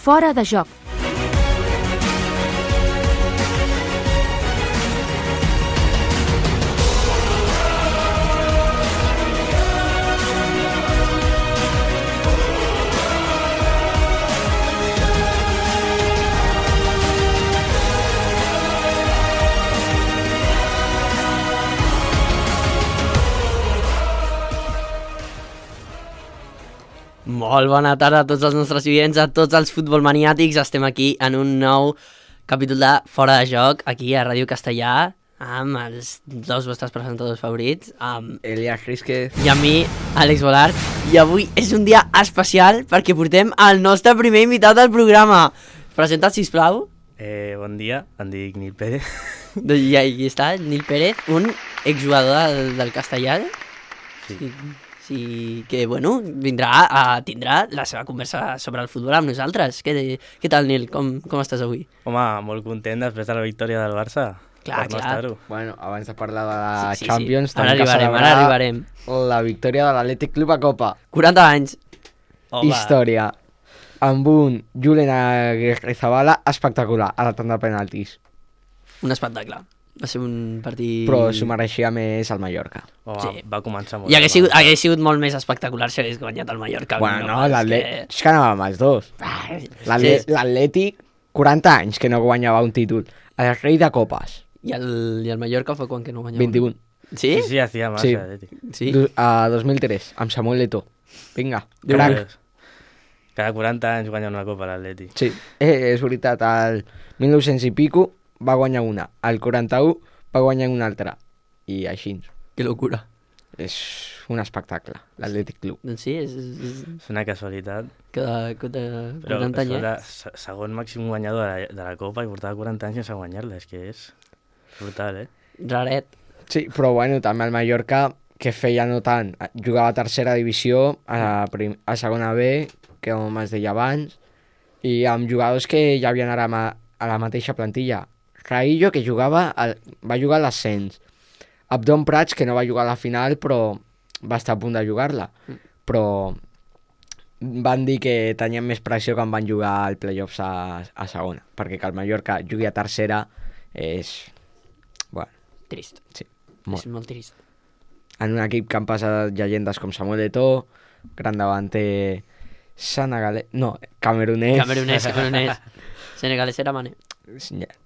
Fora de joc. Molt bona tarda a tots els nostres oients, a tots els futbolmaniàtics. Estem aquí en un nou capítol de Fora de Joc, aquí a Ràdio Castellà, amb els dos vostres presentadors favorits, amb Elias Rísquez i amb mi, Àlex Bolart. I avui és un dia especial perquè portem el nostre primer invitat del programa. Presenta't, sisplau. Bon dia, em dic Nil Pérez. I aquí està, Nil Pérez, un exjugador del Castellà. Sí, que, bueno, tindrà la seva conversa sobre el futbol amb nosaltres. Què tal, Nil? Com estàs avui? Home, molt content després de la victòria del Barça. Clar. Bueno, abans de parlar de la Champions, sí. Ara arribarem. La victòria de l'Atlètic Club a Copa. 40 anys. Home. Història. Amb un Julen Agirrezabala espectacular a la tanda de penaltis. Un espectacle. Va ser un partit... Però s'ho mereixia més el Mallorca. Home, Sí. Va començar molt I hagués sigut molt més espectacular si hagués guanyat el Mallorca. Bueno, no, l'Atlètic... És que anava amb els dos. Sí. L'Atlètic, 40 anys que no guanyava un títol. El rei de copes. I el Mallorca fa quan que no guanyava? 21. Sí? Sí, hacía más. Sí. A 2003, amb Samuel Eto'o. Vinga, crac. Cada 40 anys guanya una copa l'Atlètic. Sí, és veritat, al 1900 i pico va guanyar una, al 41 va guanyar una altra, i així. Que locura. És un espectacle, l'Atlètic Club. Doncs sí, és És una casualitat. cada Però 40 anys. era segon màxim guanyador de la copa i portava 40 anys sense guanyar-la. És que és brutal, Raret. Sí, però bueno, també el Mallorca, que feia no tant, jugava a tercera divisió, a segona B, que com es deia abans, i amb jugadors que ja havien ara a la mateixa plantilla. Raillo, que va jugar a l'ascens. Abdon Prats, que no va jugar a la final, però va estar a punt de jugar-la. Però van dir que tenien més pressió quan van jugar al playoffs a segona, perquè que el Mallorca jugui a tercera és... Bueno, Trist. sí, És molt trist. en un equip que han passat llegendes com Samuel Eto'o, gran davanter senegalès... No, camerunès. Camerunès. Senegalès era Mané.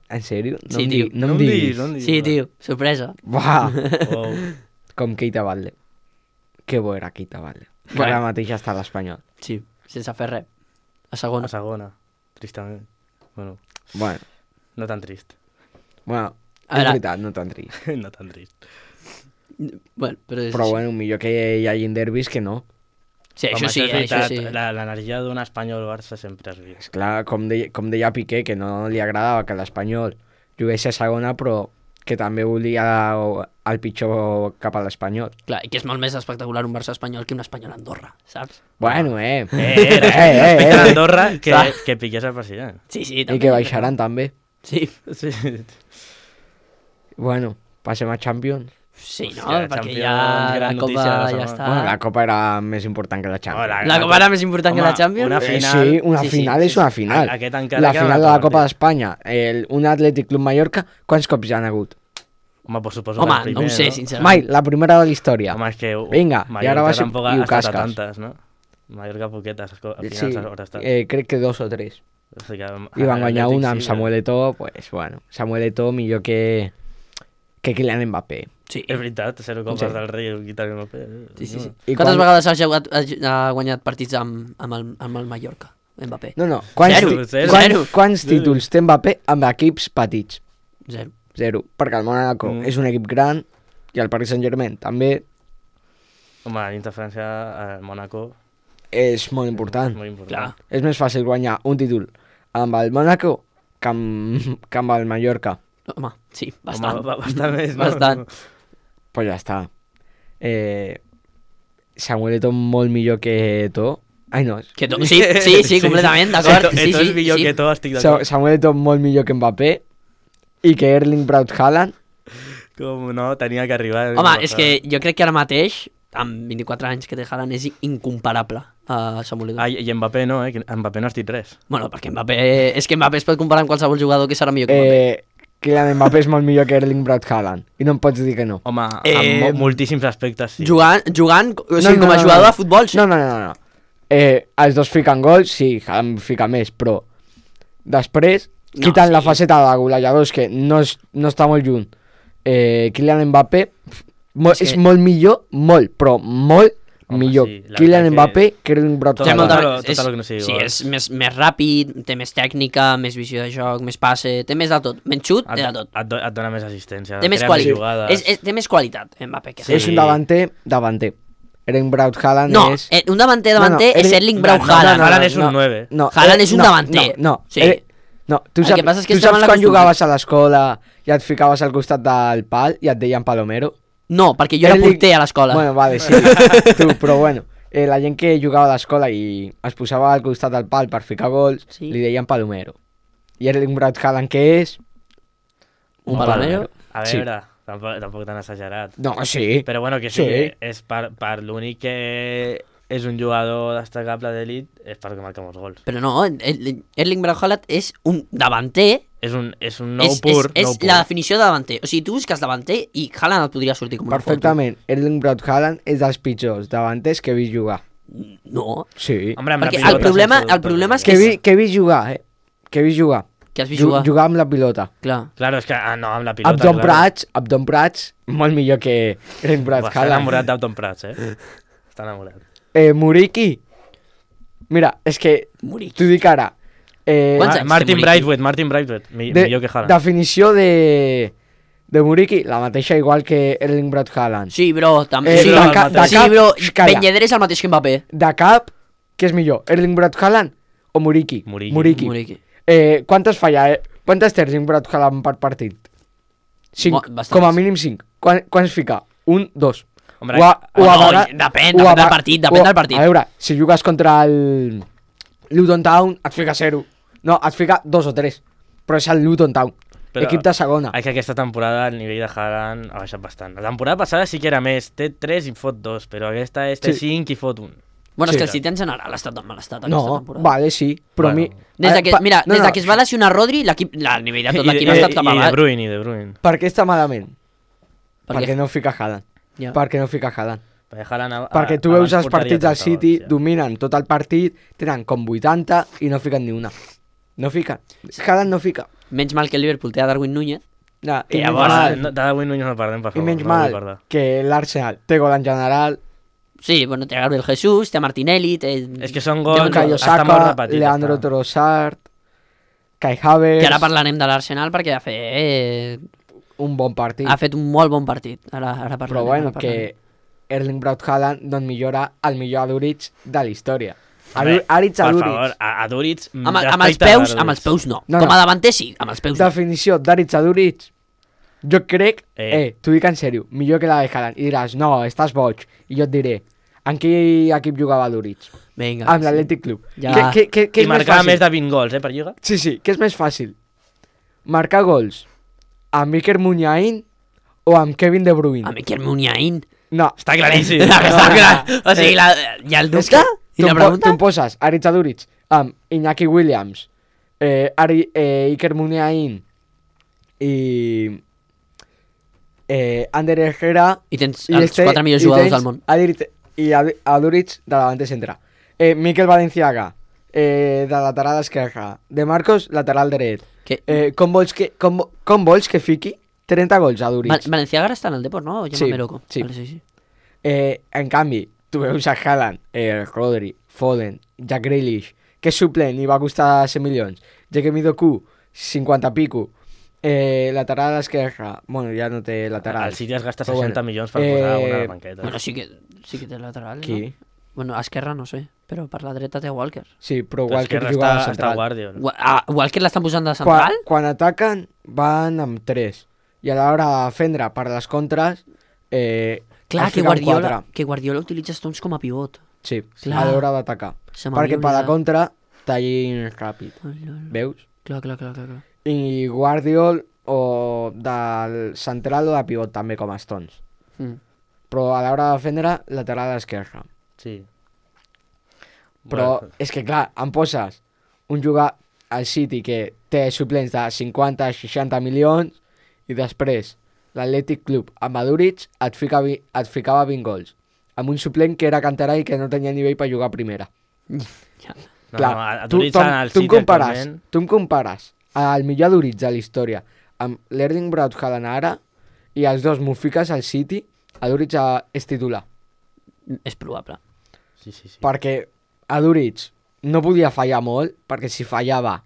En sèrio? Sí, tio. No em diguis. Sí, tio, sorpresa. Buah! Wow. Com Keita Balde. Que bo era Keita Balde. Que Bueno. ara mateix està a l'Espanyol. Sí, sense fer res. A segona. A segona, tristament. Bueno, Bueno, no tan trist. bueno, A és veure. veritat, no tan trist. No tan trist. Bueno, però és Però així. bueno, millor que hi hagin derbis que no. Sí, això Home, sí, és això veritat, sí. L'energia d'un Espanyol-Barça sempre es viu. Esclar, com deia Piqué, que no li agradava que l'Espanyol jugués a segona, però que també volia el pitjor cap a l'Espanyol. Clar, i que és molt més espectacular un Barça espanyol que un espanyol a Andorra, saps? Bueno, Respecte a Andorra, que Piqué és el president. Sí, sí, I que baixaran també. Sí, Sí. Bueno, passem a Champions. sí, no? Hòstia, Perquè Champions, ja la gran Copa notícia de la ja setmana. està... Bueno, la Copa era més important que la Champions. La Copa era més important que la Champions? Una final... Sí, una Sí, final sí, és una final. Aquest encara La queda final un de la altre Copa partit. d'Espanya, un Atlètic Club Mallorca, quants cops ja han hagut? Home, pues suposo Home, que el no ho primer, sé, no? sincerament. Mai, la primera de la història. Home, és que Vinga, i ara va ser- tampoc i ho ha estat a casques. tantes, no? Mallorca poquetes, al final Sí, haurà estat. crec que 2 o 3. O sigui que, I van guanyar Atlètic una amb sí, Samuel Eto'o, pues bueno, Samuel Eto'o millor que Kylian Mbappé. Sí. És veritat, 0 copes Sí. del rei, quitar el paper. Sí. I Quantes quan- vegades ha guanyat partits amb el Mallorca, Mbappé? No, quants, Zero, zero. quants Zero. títols té Mbappé amb equips petits? Zero. 0, perquè el Mónaco és un equip gran i el Paris Saint-Germain també Home, a l'interferència al Mónaco és molt important. és molt important. Clar. És més fàcil guanyar un títol amb el Mónaco que amb el Mallorca. Home, sí, bastant. Home, bastant més, no? Bastant. Pues ja està. Samuel Eto'o molt millor que Eto'o. Ai, no. Sí, completament, d'acord. Sí, Esto és millor que tot, estic d'acord. Samuel Eto'o molt millor que Mbappé i que Erling Braut Haaland. Com no, tenia que arribar. Home, és que jo crec que ara mateix, amb 24 anys que té Haaland, és incomparable Samuel Eto'o. Ah, i Mbappé no, que Mbappé no has dit res. Bueno, perquè Mbappé... És que Mbappé es pot comparar amb qualsevol jugador que serà millor que Mbappé. Kylian Mbappé és molt millor que Erling Braut Haaland. I no em pots dir que no. Home, en moltíssims aspectes, sí. Jugant, o sigui, com a jugador de futbol, sí. No. Els dos fiquen gols, sí, Haaland fica més, però després, quiten la faceta de golejadors, que no està molt lluny. Kylian Mbappé és molt millor, però molt millor. sí, la Kylian veritat Mbappé que Erling Braut Tot Haaland. el que no sigui Sí, gol. és més ràpid, té més tècnica, més visió de joc, més passe, té més de tot. Menys xut, té de tot. Et dona més assistència. Té més crea qualitat. jugades. Té més qualitat, Mbappé. Que Sí. És un davanter. Erling Braut Haaland No, és... un davanter és Erling Braut Haaland. Haaland és un 9. No, Haaland és un davanter. No, Sí. no, tu El saps, que passa és que tu estem saps mal quan acostumats. jugaves a l'escola i et ficaves al costat del pal i et deien Palomero? No, perquè jo era Erling- porter a l'escola. Bueno, vale, sí, tu, però bueno, la gent que jugava a l'escola i es posava al costat del pal per ficar gols, Sí. li deien Palomero. I Erling Braut Haaland, què és? Un Palomero. A Sí. veure, tampoc tan exagerat. No, sí. Però bueno, que sí, Sí. és per l'únic que és un jugador destacable d'elit, és perquè marca molts gols. Però no, Erling Braut Haaland és un davanter. És un nou pur. És la definició de davanter. O sigui, tu busques davanter i Haaland et podria sortir com una Perfectament. Erling Braut Haaland és dels pitjors davanters que he vist jugar. foto. No, Sí. Home, amb la perquè pilota el problema sense dubte, és perquè- Que he vist jugar, Que he vist jugar. que has vist jugar. Jugar amb la pilota. Clar. Claro, és que no, amb la pilota, Abdon Prats, molt millor que Erling Braut Està Haaland. enamorat d'Abdon Prats, Està enamorat. Muriqui. Mira, és que Muriqui. t'ho dic ara. Quants anys té Martin Muriqui? Braithwaite, millor que Haaland. Definició de Muriqui, la mateixa igual que Erling Braut Haaland. Sí, bro, també. Eh, Sí, de ca- cap- sí, de cap- bro, calla. Ben Yedder és el mateix que Mbappé. De cap, què és millor, Erling Braut Haaland o Muriqui? Muriqui. Muriqui. Quantes falla, quantes té Erling Braut Haaland per partit? 5, Bastants. com a mínim 5. Quants fica? 1, 2. Hombre, depèn del partit, depèn del partit. A veure, si jugues contra el Luton Town, et fica 0. No, et fica 2 o 3. Però és el Luton Town, equip de segona. És que aquesta temporada el nivell de Haaland ha baixat bastant. La temporada passada sí que era més, té 3 i fot 2, però aquesta té Sí. 5 i fot 1. Bueno, Sí. és que el City en general ha estat en mal estat aquesta No, temporada. vale, sí, però Bueno. Des de que, mira, no, des no, de que es va lesionar Rodri, el nivell de tot l'equip ha I estat cap De avall. Bruyne. Per què està malament? Per Perquè què? no fica Haaland. Ja. Perquè no fica Haaland. Perquè Haaland Perquè tu veus els partits del City, dominen tot el partit, tenen com 80 i no fiquen ni una. No fiquen. Haaland no fica. Menys mal que el Liverpool té a Darwin Núñez. No, Que i menys llavors, mal, De Darwin Núñez no perdem, per i favor. menys no vull mal perdre. que l'Arsenal té gol en general, Sí, bueno, té a Gabriel Jesús, té a Martinelli, té... És que són Déu gols... n'hi do. Caio està molt Saka, repetit, Leandro està. Trossard, Kai Havertz, Que ara parlarem de l'Arsenal perquè un bon partit. ha fet un molt bon partit. Ara parlarem. Però bueno, ara parlarem. que Erling Braut Haaland doncs millora el millor Aduric de la història. Home, Aritz Per Aduric. favor, a Duric... Amb els peus no. No, Com no. a davanter sí, amb els peus no. Definició d'Aritz Aduric. Jo crec, Eh. t'ho dic en sèrio, millor que la de Haaland. I diràs, no, estàs boig. I jo et diré, en quin equip jugava Aduric? Vinga. Amb sí. l'Atlètic Club. Ja. Què I és més marcava fàcil? més de 20 gols, per Lliga. Sí, sí, què és més fàcil? Marcar gols amb Iker Muniain o amb Kevin De Bruyne? A Miquel Muniain. No. Està claríssim. Està clar. O sigui, hi ha el És dubte? I tu la em pregunta? poses Aritz Aduric amb Iñaki Williams, Iker Muniain i Ander Herrera I tens els 4 millors jugadors del món. Aduric de davanter centre. Miquel Valenciaga de lateral esquerra. De Marcos, lateral dret. Que... Com vols que fiqui 30 gols a Aduric? Valenciaga ara està en el Depor, no? O Sí, loco. sí. Vale, sí. En canvi, tu veus a Haaland, Rodri, Foden, Jack Grealish, que és suplent i va costar 100 milions. Jeremy Doku, 50 pico. Lateral esquerra, bueno, ja no té lateral. El City es gasta Però 60 bueno. milions per posar una a la banqueta. Bueno, sí que té lateral, Qui? no? Bueno, a esquerra no sé, però per la dreta té Walker. Sí, però Però Walker Esquerra juga a està central. Guardiol. Walker l'estan posant de central? Quan ataquen, van amb 3. I a l'hora de defendre per les contres, Clar, es que fiquen Guardiola utilitza Stones com a pivot. Sí, Clar. a l'hora d'atacar. Se m'havia Perquè per la oblidat. contra, tallin ràpid. Veus? Clar. I Guardiol o del central o de pivot també com a Stones. Mm. Però a l'hora de defendre, lateral esquerra. Sí. Però Bueno. és que, clar, em poses un jugar al City que té suplents de 50-60 milions i després l'Atlètic Club amb Aduriz et ficava 20 gols. Amb un suplent que era canterà i que no tenia nivell per jugar a primera. Ja. No, Clar, a tu, Duriz tu, al tu, em City compares, actualment. tu em compares el millor Aduriz de la història amb l'Erling Braut Haaland ara i els dos m'ho fiques al City, Aduriz és titular. És probable. Sí. Perquè Aduriz no podia fallar molt, perquè si fallava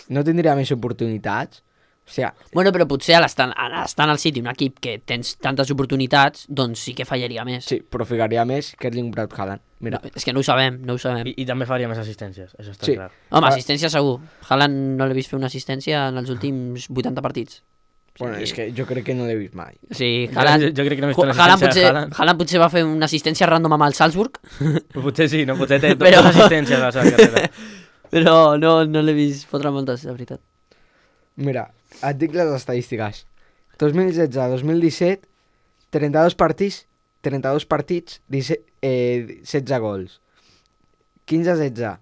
no tindria més oportunitats. O sigui, Bueno, però potser estant al City, un equip que tens tantes oportunitats, doncs sí que fallaria més. sí, però ficaria més que Erling Braut Haaland. Mira, És que no ho sabem. I també faria més assistències, això està Sí. clar. Home, assistència segur. Haaland no l'he vist fer una assistència en els últims 80 partits. bueno, és que jo crec que no l'he vist mai. O sigui, Jo Haaland, crec que no he vist una Haaland, assistència de potser, Haaland potser va fer una assistència random amb el Salzburg, Potser sí, no? Potser té Però- dues assistències a la seva carrera. però no l'he vist fotre moltes, de veritat. Mira, et dic les estadístiques. 2016-2017, 32 partits, 16 gols. 15-16,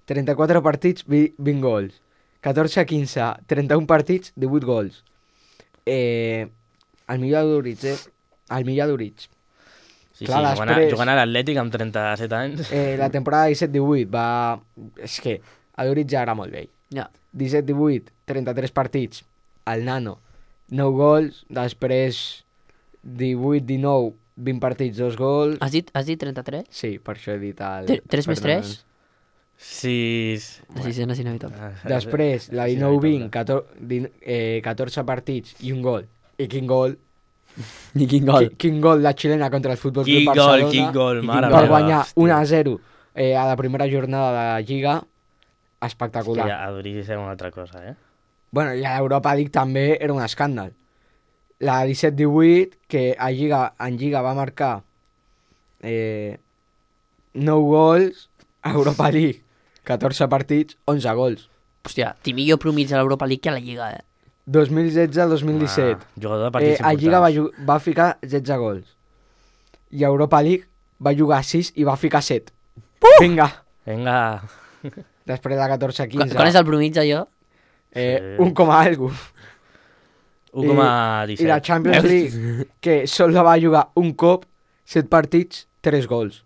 34 partits, 20 gols. 14-15, 31 partits, 18 gols. El millor Aduriz, El millor Aduriz. Sí, Clar, jugant, després- jugant a l'Atlètic amb 37 anys. La temporada 17-18 va... És que Aduriz ja era molt vell. Ja. 17-18, 33 partits, el Nano, 9 gols, després 18-19, 20 partits, 2 gols. Has dit 33? Sí, per això he dit el... 3 més 3? Sí. La sisena és inevitable. Després, la 19-20, 14 partits i un gol. I quin gol? I quin gol. Quin gol la xilena contra el Futbol Club Quin Barcelona. gol, quin gol, I mare quin gol meva, guanyar hòstia. 1-0 a la primera jornada de la Lliga. Espectacular. Ja, a Duriz és una altra cosa, eh? Bueno, i a l'Europa League també era un escàndal. La 17-18, que en Lliga va marcar 9 gols, a Europa League 14 partits, 11 gols. Hòstia, té millor promig a l'Europa League que a la Lliga, 2016-2017, Jugador de partits a Lliga importants. va ficar 16 gols. I a Europa League va jugar 6 i va ficar 7. Vinga! Vinga. Després de 14-15. Quan és el promig, allò? Sí. 1 com a algo. 1,17. I la Champions League, que sol la va jugar un cop, 7 partits, 3 gols.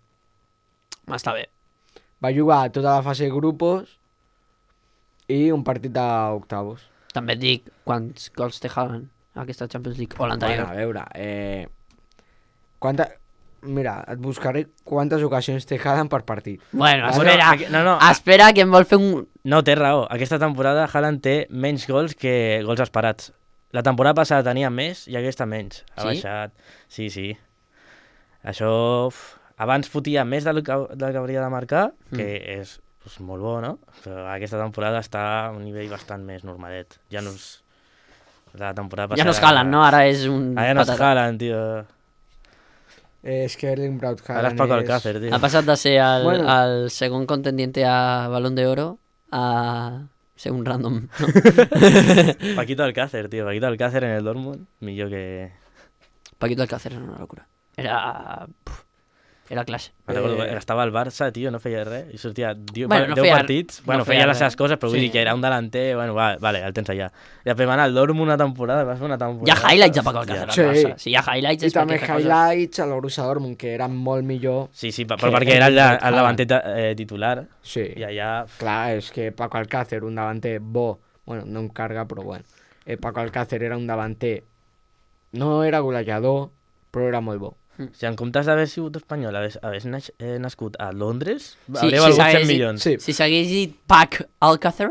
Està bé. Va jugar tota la fase de grupos i un partit d'octavos. També et dic quants gols té Haaland a aquesta Champions League o Bueno, l'anterior. a veure, mira, et buscaré quantes ocasions té Haaland per partit. Bueno, Bueno, espera. No, Espera, que em vol fer un... no, té raó. Aquesta temporada Haaland té menys gols que gols esperats. La temporada passada tenia més i aquesta menys. Ha Sí? baixat. Sí. Això... Abans fotia més del que hauria de marcar, que és molt bo, no? Però aquesta temporada està a un nivell bastant més normalet. Ja no és... La temporada passada... Ja no és Haaland, no? Ara és un... Ara ja no és patata. Haaland, tio. És que Erling Braut Ara és Haaland Paco Alcácer, tio. Ha passat de ser Bueno. el segon contendiente a Balón de Oro a ser un random. No? Paquito Alcácer, tio. Paquito Alcácer en el Dortmund. Millor que... Paquito Alcácer era una locura. Era classe. Me recordo, estava al Barça, tio, no feia res, i sortia 10 Bueno, no 10 feia- partits, no bueno, feia feia les res. seves coses, però vull Sí. dir que era un delanter, bueno, vale, el tens allà. I després va anar al Dortmund una temporada, va fer una temporada... Hi ha highlights de Paco Alcácer al Sí. Barça. Si hi ha highlights I és també perquè fa coses. highlights a l'Orussia Dortmund, que eren molt millor. Sí, però que perquè era Erling Braut el davanter titular, Sí, i allà... clar, és que Paco Alcácer, un davanter bo, bueno, no em carga, però bueno. Paco Alcácer era un davanter, no era golejador, però era molt bo. Si en comptes d'haver sigut espanyol, hagués nascut a Londres, Sí, hauria sí, valgut 100 s'hagués dit- milions. Sí. Si s'hagués dit Pac Alcácer,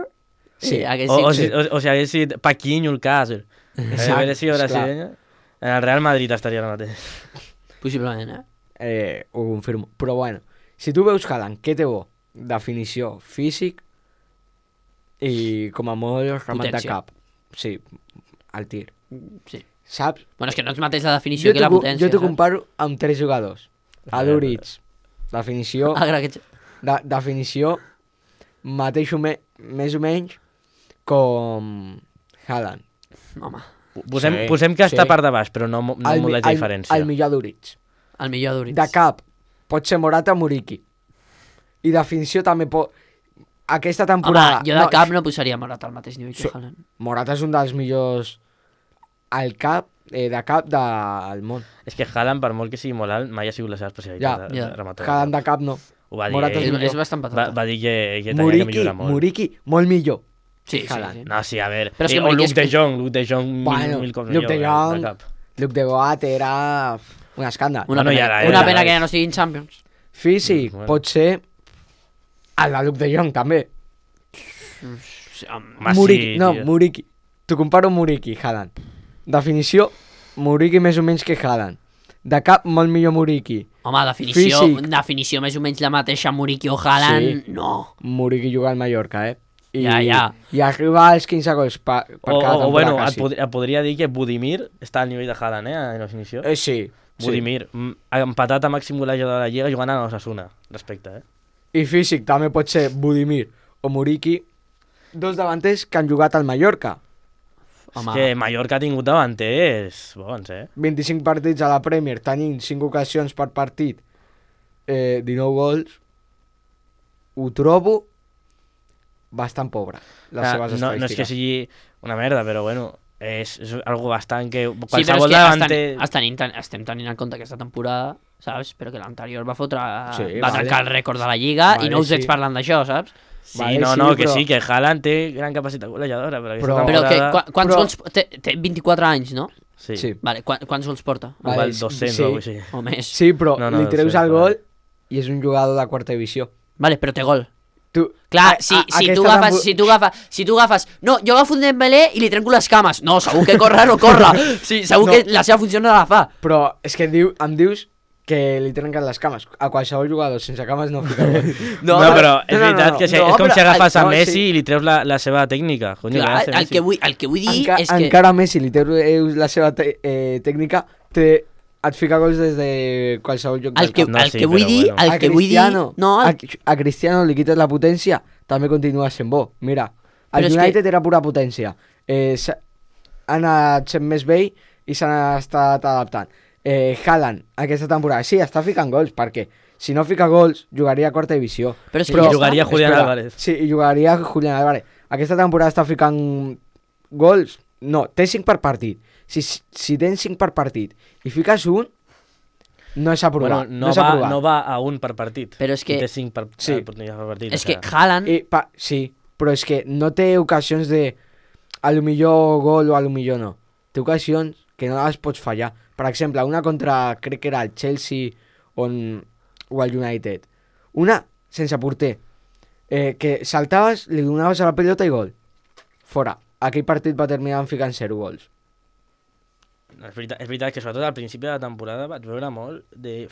Sí. hagués O dit... si hagués sigut Paquinho Alcácer. Exacte, Hagués sigut esclar. brasileño, en el Real Madrid estaria ara mateix. Possiblement, Ho confirmo. Però bueno, si tu veus Haaland, què té bo? Definició, físic i com a molt remat de Potència. cap. Sí, al tir. Sí. Saps? Bueno, és que no és mateix la definició que la potència. jo t'ho saps? comparo amb 3 jugadors. Aduriz, definició, Agra que... definició mateix més o menys com Haaland. Home, Posem que està sí. per de baix, però no molt de diferència. El millor Aduriz. el millor Aduriz. De cap, pot ser Morata o Muriqui. I definició també pot... Aquesta temporada... Home, jo de cap no posaria Morata al mateix nivell que Haaland. Morata és un dels millors al cap, de cap del món. És que Haaland, per molt que sigui molt alt, mai ha sigut la seva especialitat. Ja. Haaland de cap no. Ho va dir Morata ell. millor. És bastant patata. Va dir que tenia que millorar molt. Muriqui, molt millor. Sí, sí, Haaland. sí. No, sí, a veure. Però és que o Muriqui Luke de Jong. Luke de Jong Bueno, mil cops Luke de millor, Jong, de cap. Luke de Goat era un escàndal. Una Bueno, pena, ja una era, pena ja que és. ja no siguin Champions. Físic, Bueno. pot ser el de Luke de Jong, també. Home, Muriqui, sí, no, tio. Muriqui. T'ho comparo amb Muriqui, Haaland. Definició, Muriqui més o menys que Haaland. De cap, molt millor Muriqui. Home, definició, Físic. definició més o menys la mateixa Muriqui o Haaland, Sí. no. Muriqui juga al Mallorca, Ja. I arriba als 15 gols per cada temporada, bueno, quasi. et podria dir que Budimir està al nivell de Haaland, en definició. Sí. Budimir, empatat a màxim golejador de la Lliga jugant a l'Osasuna, respecte, I físic també pot ser Budimir o Muriqui, dos davanters que han jugat al Mallorca. Home, És que Mallorca ha tingut davanters bons, 25 partits a la Premier, tenint 5 ocasions per partit, 19 gols. Ho trobo bastant pobre, les seves no és que estadístiques. sigui una merda, però bueno, és algo bastant que... sí, però és Qualsevol que davanter... estem tenint en compte aquesta temporada, saps? Però que l'anterior va fotre... Sí, va vale. trencar el rècord de la Lliga Vale, i no us veig sí. parlant d'això, saps? Sí, Vale, no, sí, no, que però- sí, que Haaland té gran capacitat golejadora, però aquesta Però- Però que, temporada... quants Però- gols... Té 24 anys, no? Sí, Sí. Vale, quants gols porta? Vale, igual 200 sí. o alguna cosa així. O més. Sí, però No, no, li treus sí, el vale. gol i és un jugador de quarta divisió. Vale, però té gol. Tu, Clar, si tu agafes... No, jo agafo un Dembélé i li trenco les cames. No, segur que corre no corre. Sí, segur No. que la seva funció no la fa. Però és que em dius que li trenquen les cames. A qualsevol jugador sense cames no fica gol. No, però és veritat que és com però- si agafes a no, Messi sí. i li treus la seva tècnica. Conyo, Clar, què hace el que vull dir és que... Encara Messi li treus la seva tècnica, et fica gols des de qualsevol lloc El que, No, el sí, que vull però dir... bueno. El que vull dir... No, a Cristiano li quites la potència, també continua sent bo. Mira, el Però és United era pura potència. Ha anat sent més vell i s'han estat adaptant. Haaland, aquesta temporada, sí, està ficant gols, perquè si no fica gols, jugaria a quarta divisió. Però és que Però ja jugaria està. Julián Espera, Álvarez. Sí, i jugaria Julián Álvarez. Aquesta temporada està ficant gols. No, té 5 per partit. Si tens 5 per partit i fiques un, no és aprovar. Bueno, no és aprovar. no va a un per partit. Però és que- I té 5 Sí. oportunitats per partit. És o que sea, Haaland... Sí, però és que no té ocasions de a lo millor gol o a lo millor no. Té ocasions que no les pots fallar. Per exemple, una contra, crec que era el Chelsea o el United. Una sense porter. Que saltaves, li donaves a la pelota i gol. Fora. Aquell partit va terminar ficant 0 gols. és veritat que sobretot al principi de la temporada vaig veure molt de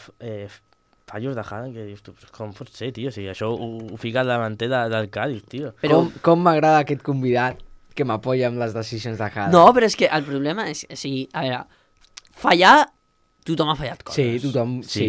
fallos de Haaland que dius tu, com pot ser, tio? O sigui, això ho fica el davanter del Cádiz, tio. Però... Com m'agrada aquest convidat que m'apoya amb les decisions de Haaland. No, però és que el problema és... O sigui, a veure, fallar... Tothom ha fallat coses. Sí, tothom... Sí.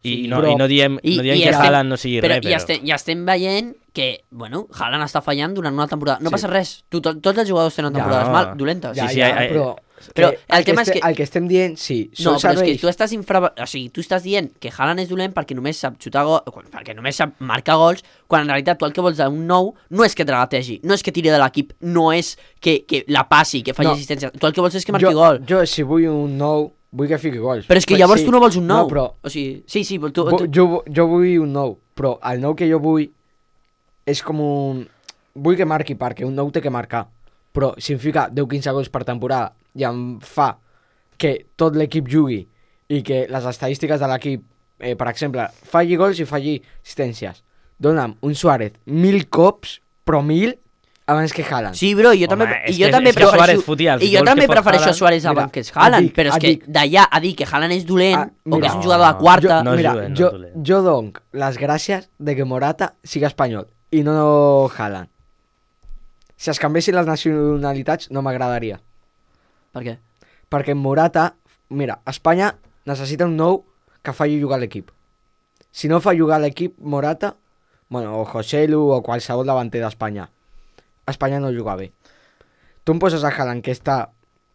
I però- no diem que Haaland no sigui però, res, però... I estem veient que, bueno, Haaland està fallant durant una temporada. No Sí. passa res. Tots els jugadors tenen Ja, temporades no. dolentes. Ja, Sí, sí, però... Però que el tema és que... El que estem dient, sí, No, són però és que serveis. tu estàs o sigui, tu estàs dient que Haaland és dolent perquè només sap xutar gol, perquè només sap marcar gols, quan en realitat tu el que vols d'un nou no és que tragategi, no és que tiri de l'equip, no és que la passi, que faci No. assistència. Tu el que vols és que marqui gol. Jo, si vull un nou, vull que fiqui gols. Però és que llavors tu no vols un nou. No, però O sigui, sí, però tu... jo vull un nou, però el nou que jo vull és com un... Vull que marqui perquè un nou té que marcar, però si em fica 10-15 gols per temporada i em fa que tot l'equip jugui i que les estadístiques de l'equip, per exemple, falli gols i falli assistències, dona'm un Suárez 1000 cops, però 1000 abans que Haaland. Sí, bro, jo Home, també, és i jo que- també és que Suárez prefereixo, fotia els i jo gols també que fot prefereixo Haaland. Suárez Mira, abans que és Haaland, et dic, però és et que dic. d'allà a dir que Haaland és dolent o que mira, és un jugador de quarta... no és mira, dolent, no jo, és dolent. jo dono les gràcies de que Morata sigui espanyol i no Haaland. Si es canviessin les nacionalitats no m'agradaria. Per què? Perquè Morata, mira, Espanya necessita un nou que faci jugar l'equip. Si no fa jugar l'equip Morata, bueno, o Joselu o qualsevol davanter d'Espanya, Espanya no juga bé. Tu em poses a Haaland que està...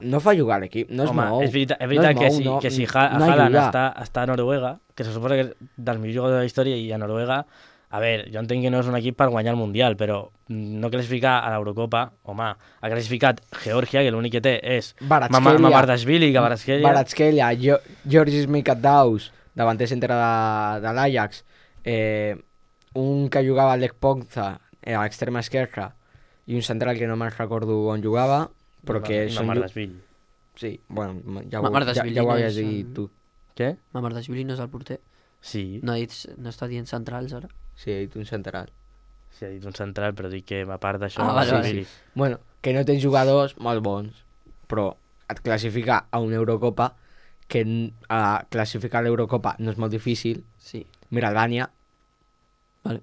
No fa jugar l'equip, no es Home, mou. és veritat no es que, mou, si no Haaland ajuda. està a Noruega, que se suposa que és dels millors jugadors de la història i a Noruega A veure, jo entenc que no és un equip per guanyar el Mundial, però no classificar a l'Eurocopa, home, ha classificat Geòrgia, que l'únic que té és Kvaratskhelia. Mamardashvili, Kvaratskhelia. Kvaratskhelia, Georgis Mikatdaus, davanter centre de l'Ajax, un que jugava a l'Ec Ponza, a l'extrema esquerra, i un central que no me'n recordo on jugava, però que són... Mamardashvili. Sí, bueno, ja Mamardashvili ho no havies és dit tu. Què? Mamardashvili no és el porter. Sí. No està dient centrals, ara? Sí, he dit un central. Sí, ha dit un central, però dic que a part d'això... Vale. sí. Bueno, que no tens jugadors molt bons, però et classifica a una Eurocopa, que classificar a l'Eurocopa no és molt difícil. Sí. Mira Albània. Vale.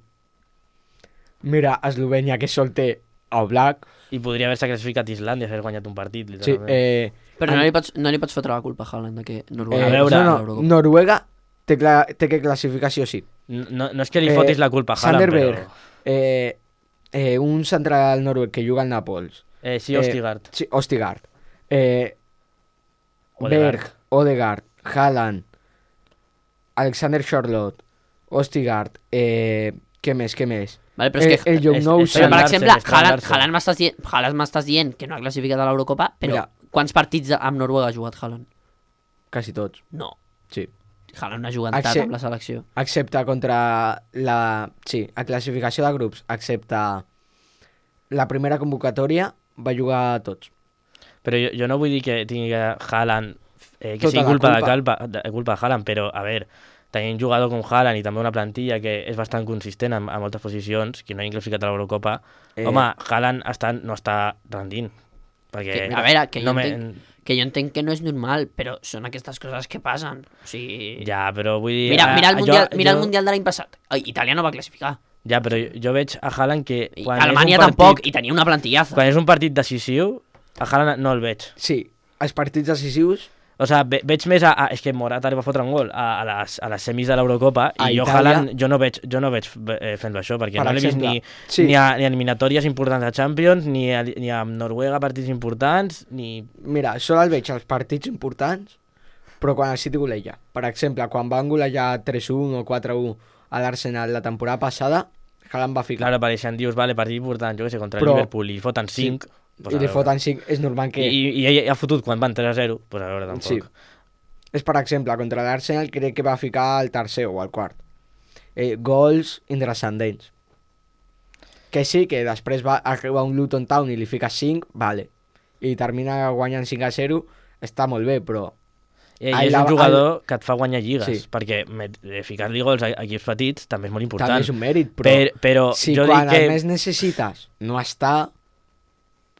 Mira Eslovènia, que sol té Oblak. I podria haver-se classificat Islàndia, haver guanyat un partit, Sí, literalment. Però no li pots fotre la culpa a Haaland de que Noruega... A veure, no, Noruega té que classificar sí o sí. No és que li fotis la culpa a Haaland, Sanderberg, però... un central noruec que juga al Nàpols. Sí, Ostigard. Sí, Ostigard. Odegaard. Berg, Odegaard, Haaland, Alexander Charlotte, Ostigard, què més? Vale, però és que... el Young és- Nou és- Però, per Larsen, exemple, està Larsen. Haaland m'estàs dient que no ha classificat a l'Eurocopa, però Mira. quants partits amb Noruega ha jugat Haaland? quasi tots, No. sí. Haaland no ha jugat tant Acce- amb la selecció. Excepte contra la... Sí, a classificació de grups, excepte la primera convocatòria, va jugar tots. Però jo no vull dir que tingui Haaland, que Tota sigui la culpa culpa. de Haaland, però, a veure, tenir un jugador com Haaland i també una plantilla que és bastant consistent en moltes posicions, que no hagi classificat a l'Eurocopa, home, Haaland no està rendint. Perquè A veure, que no jo entenc que no és normal, però són aquestes coses que passen. O sigui... Ja, però vull dir... Mira el jo- Mundial de l'any passat. Itàlia no va classificar. Ja, però jo veig a Haaland que... I Quan Alemanya és un tampoc, partit, i tenia una plantillaza. Quan és un partit decisiu, a Haaland no el veig. Sí, els partits decisius, O sigui, veig més és que Morata li va fotre un gol a les semis de l'Eurocopa A i jo Itàlia. Haaland jo no veig fent-lo això, perquè Per no l'he vist exemple, sí. ni a eliminatòries importants de Champions, ni a Noruega partits importants, ni... mira, sol el veig als partits importants, però quan el City goleja. Per exemple, quan van golejar 3-1 o 4-1 a l'Arsenal la temporada passada, Haaland va ficar. Clar, apareixen, dius, vale, partit important, jo què sé, contra Però- Liverpool, i foten 5... I li foten 5, és normal que... I ell ha fotut quan van 3-0, pues a veure, tampoc. Sí. És, per exemple, contra l'Arsenal crec que va ficar el tercer o el quart. Gols intranscendents. Que sí, que després va arribar un Luton Town i li fica 5, vale. I termina guanyant 5-0, està molt bé, però... I Ai, és un jugador que et fa guanyar lligues, Sí. perquè ficar-li gols a equips petits també és molt important. També és un mèrit, però... Però si jo quan dic que... el més necessites no està...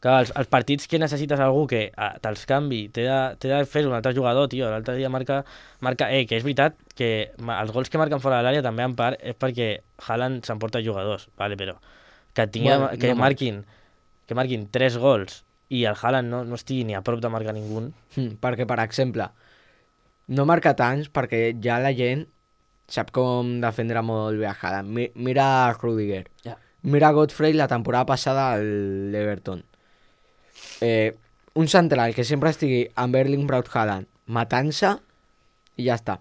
Clar, els partits que necessites algú que te'ls canvi, t'he de fer un altre jugador, tio. L'altre dia marca que és veritat que els gols que marquen fora de l'àrea també en part és perquè Haaland s'emporta jugadors, vale, però que, Bueno, que, no marquin 3 gols i el Haaland no estigui ni a prop de marcar ningú. Perquè, per exemple, no marca tants perquè ja la gent sap com defendre molt bé a Haaland. Mira Rudiger. Ja. Mira Godfrey la temporada passada a l'Everton. Un central que sempre estigui amb Erling Braut Haaland matant-se i ja està.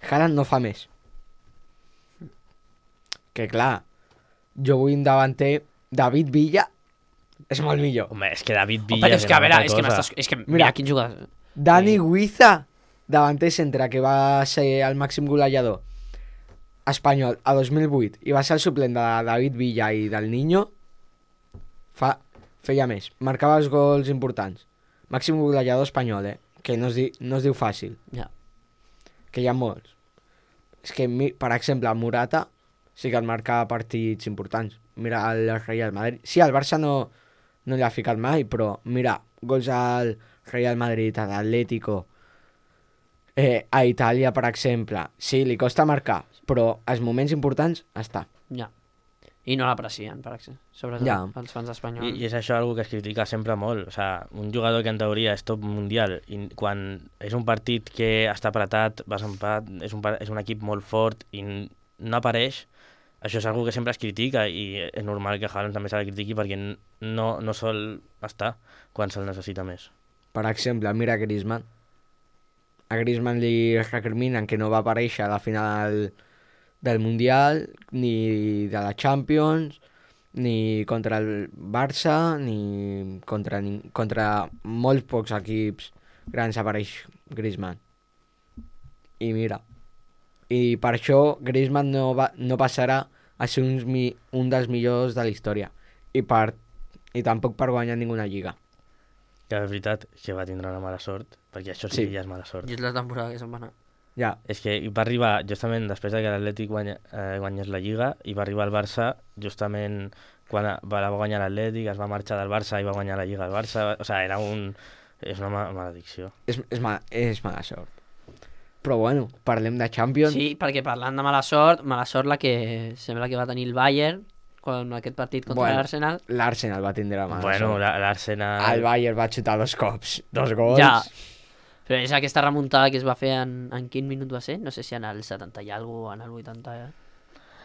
Haaland no fa més. Que clar, jo vull un davanter. David Villa és molt millor. Home, és que David Oh, Villa... però és que, a veure, una és que Mira. mira quin jugador... Dani Guiza, davanter centre, que va ser el màxim golejador espanyol a 2008 i va ser el suplent de David Villa i del Niño, feia més. Marcava els gols importants. Màxim golejador espanyol, que no es diu fàcil, Ja. que hi ha molts. És que, per exemple, Morata sí que el marca partits importants. Mira el Real Madrid. Sí, el Barça no li ha ficat mai, però mira, gols al Real Madrid, a l'Atlético, a Itàlia, per exemple. Sí, li costa marcar, però als moments importants està. Ja. I no l'aprecien, per exemple. Sobretot Ja. els fans espanyols. I és això algo que es critica sempre molt. O sigui, un jugador que en teoria és top mundial i quan és un partit que està apretat, vas empat, és un equip molt fort i no apareix, això és algo que sempre es critica i és normal que Haaland també se la critiqui perquè no sol estar quan se'l necessita més. Per exemple, mira Griezmann. A Griezmann li recriminen que no va aparèixer a la final del Mundial, ni de la Champions, ni contra el Barça, ni contra molts pocs equips grans apareix Griezmann. I mira, i per això Griezmann no passarà a ser un dels millors de la història. I tampoc per guanyar ninguna lliga. Que és veritat que va tindre una mala sort, perquè això sí que ja és mala sort. I és la temporada que se'n va anar. Ja, És que va arribar justament després que l'Atlètic guanyés la Lliga i va arribar al Barça justament quan va guanyar l'Atlètic, es va marxar del Barça i va guanyar la Lliga al Barça. O sigui, és una maledicció. és mala sort. Però bueno, parlem de Champions. Sí, perquè parlant de mala sort la que sembla que va tenir el Bayern en aquest partit contra l'Arsenal. L'Arsenal va tindre mala Bueno, sort. l'Arsenal... El Bayern va xutar 2 cops, 2 gols. Ja, però és aquesta remuntada que es va fer en quin minut va ser? No sé si en el 70 i alguna o en el 80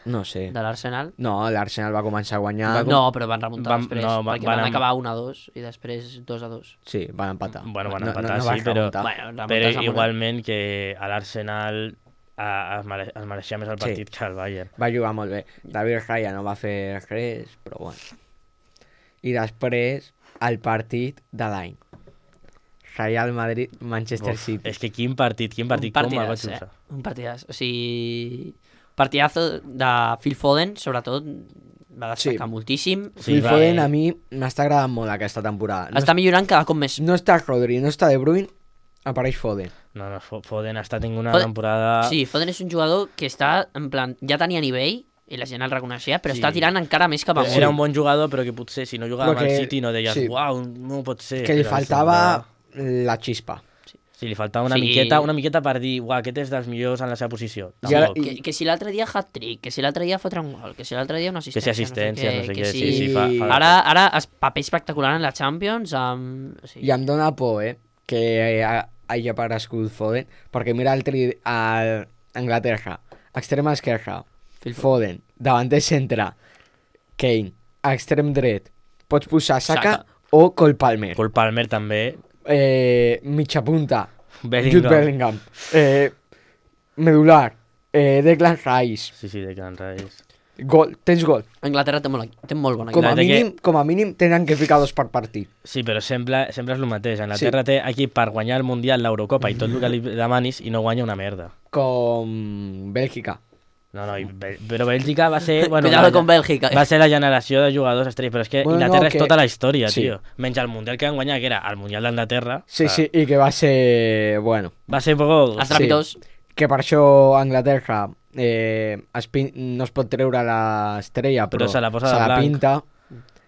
No sé. de l'Arsenal. No, l'Arsenal va començar a guanyar. No, però van remuntar després, no, perquè van acabar 1-2 i després 2-2. Sí, van empatar. Bueno, van No empatar, va sí, però... remuntar. Bueno, Però remuntes amb igualment que a l'Arsenal es mereixia més el partit que el Bayern. Va jugar molt bé. David Raya no va fer res, però bueno. I després, el partit de l'any. Real Madrid, Manchester City. És que quin partit, com el vaig usar. Un partidàs, o sigui... Partidazo de Phil Foden, sobretot, va destacar moltíssim. Phil Foden a mi m'està agradant molt aquesta temporada. Està millorant cada cop més. No està Rodri, no està De Bruyne, apareix Foden. No, Foden està tenint una temporada... Sí, Foden és un jugador que està, en plan, ja tenia nivell, i la gent el reconeixia, però està tirant encara més cap amunt. Era un bon jugador, però que potser si no jugava amb el City no deies, uau, no pot ser. Que li faltava la xispa. Sí, li faltava una miqueta per dir, uau, aquest és dels millors en la seva posició. Que si l'altre dia hat-trick, que si l'altre dia fotre un gol, que si l'altre dia una assistència, que si assistència, no sé què. Sí, fa ara paper espectacular en la Champions. I em dóna por, que hagi aparegut Foden, perquè mira a Anglaterra, extrema esquerra, Foden, davanter centre, Kane, a extrem dret, pots posar Saka o Cole Palmer. Cole Palmer també. Mitja punta, Bellingham. Jude Bellingham, medular, Declan Rice. Sí, Declan Rice. Gol, tens gol. Anglaterra té molt bona Com a mínim tenen que ficar 2 per partit. Sí, però sempre és el mateix. Anglaterra té aquí per guanyar el Mundial, l'Eurocopa i tot el que li demanis i no guanya una merda. Com Bèlgica. No, però Bèlgica va ser... Bueno, Cuidado con Bèlgica. Va ser la generació de jugadors estrells, però és que Inglaterra és tota la història, sí. Tio. Menys el Mundial que van guanyar, que era el Mundial d'Anglaterra. Sí, i que va ser... Bueno. Va ser un poco... Estrepitós. Sí. Que per això Anglaterra no es pot treure l'estrella, però se la pinta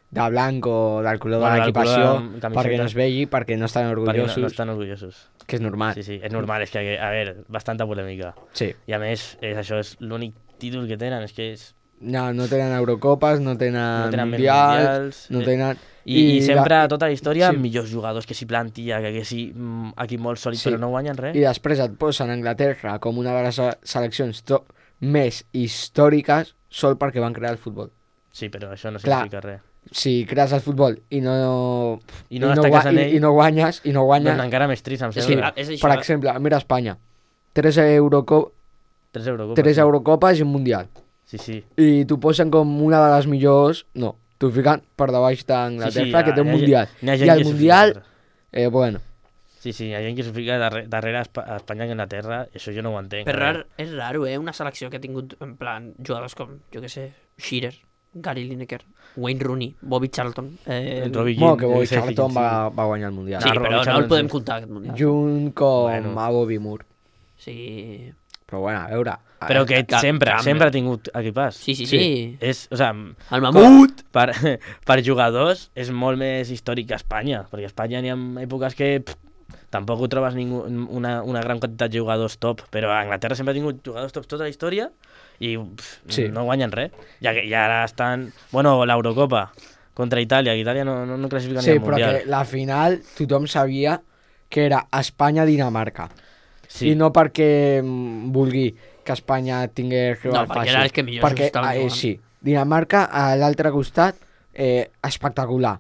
de blanc o del color de l'equipació perquè no es vegi, perquè no estan orgullosos. No estan orgullosos. Que és normal. Sí, és normal, és que, a veure, bastanta polèmica. Sí. I a més, això és l'únic títol que tenen, és que és... No tenen Eurocopes, no tenen Mundials, no tenen... I sempre, tota la història, millors jugadors, que si plantilla, que si equip molt sòlid, però no guanyen res. I després et posen Anglaterra com una de les seleccions més històriques sol perquè van crear el futbol. Sí, però això no significa res. Si crees el futbol i no guanyes, doncs encara més trist, em sembla. Per exemple, mira Espanya, 3 Eurocopes i un Mundial. Sí. I t'ho posen com una de les millors... No, t'ho fiquen per debaix d'Anglaterra, que té un Mundial. I el Mundial, bueno... Sí, hi ha gent que s'ho fica darrere Espanya i Anglaterra, i això jo no ho entenc. Però és raro, una selecció que ha tingut, en plan, jugadors com, jo què sé, Shearer, Gary Lineker, Wayne Rooney, Bobby Charlton... que Bobby Charlton va guanyar el Mundial. Sí, però no el podem comptar, aquest Mundial. Junt com a Bobby Moore. Sí... Però bueno, a veure... Però que sempre ha tingut equipàs. Sí. És, o sigui, el mamut! Per jugadors és molt més històric que Espanya, perquè a Espanya n'hi ha èpoques que tampoc ho trobes una gran quantitat de jugadors top, però a Anglaterra sempre ha tingut jugadors top tota la història i no guanyen res. I ara estan... Bueno, l'Eurocopa contra Itàlia, que Itàlia no classifica ni al Mundial. Sí, però que la final tothom sabia que era Espanya-Dinamarca. Sí. I no perquè vulgui que Espanya tingués rival fàcil. Perquè era el que millor estaven jugant. Sí, Dinamarca a l'altre costat, espectacular.